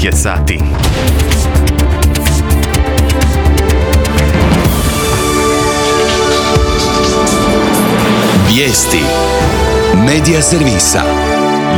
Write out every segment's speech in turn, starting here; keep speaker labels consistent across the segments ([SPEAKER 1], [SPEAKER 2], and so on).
[SPEAKER 1] 9 je sati.
[SPEAKER 2] Vijesti Medija servisa.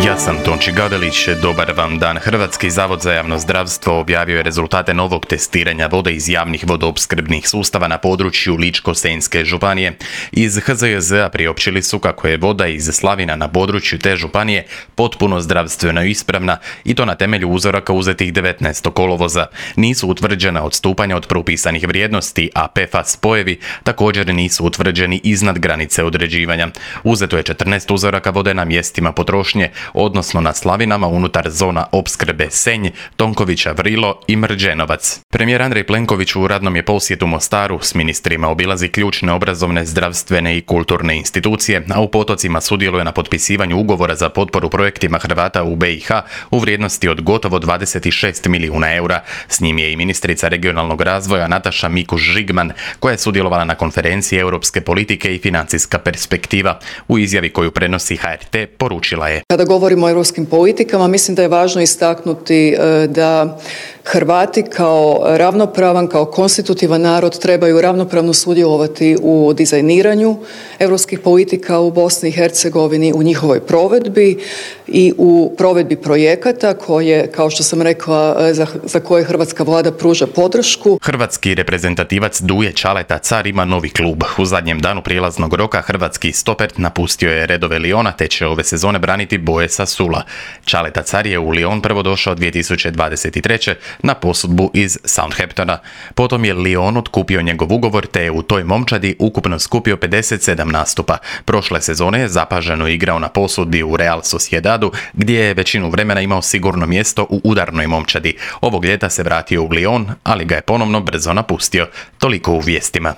[SPEAKER 1] Ja sam Tonči Gavelić, dobar vam dan. Hrvatski zavod za javno zdravstvo objavio je rezultate novog testiranja vode iz javnih vodoopskrbnih sustava na području Ličko-senjske županije. Iz HZJZ-a priopćili su kako je voda iz slavina na području te županije potpuno zdravstveno ispravna i to na temelju uzoraka uzetih 19. kolovoza. Nisu utvrđena odstupanja od propisanih vrijednosti, a PFAS spojevi također nisu utvrđeni iznad granice određivanja. Uzeto je 14 uzoraka vode na mjestima potrošnje, odnosno na slavinama unutar zona opskrbe Senj, Tonkovića Vrilo i Mrđenovac. Premijer Andrej Plenković u radnom je posjetu Mostaru s ministrima obilazi ključne obrazovne, zdravstvene i kulturne institucije, a u Potocima sudjeluje na potpisivanju ugovora za potporu projektima Hrvata u BiH u vrijednosti od gotovo 26 milijuna eura. S njim je i ministrica regionalnog razvoja Nataša Mikuš-Žigman, koja je sudjelovala na konferenciji Europske politike i financijska perspektiva. U izjavi koju prenosi HRT poručila je:
[SPEAKER 3] Kada govorimo o europskim politikama, mislim da je važno istaknuti da Hrvati kao ravnopravan, kao konstitutivan narod trebaju ravnopravno sudjelovati u dizajniranju europskih politika u Bosni i Hercegovini, u njihovoj provedbi i u provedbi projekata koje, kao što sam rekla, za koje hrvatska vlada pruža podršku.
[SPEAKER 1] Hrvatski reprezentativac Duje Čaleta Car ima novi klub. U zadnjem danu prijelaznog roka hrvatski stoper napustio je redove Liona te će ove sezone braniti boje sa Sula. Čaleta Car je u Lion prvo došao 2023. na posudbu iz Southamptona. Potom je Lion otkupio njegov ugovor te je u toj momčadi ukupno skupio 57 nastupa. Prošle sezone je zapaženo igrao na posudbi u Real Sociedadu, gdje je većinu vremena imao sigurno mjesto u udarnoj momčadi. Ovog ljeta se vratio u Lion, ali ga je ponovno brzo napustio. Toliko u vijestima.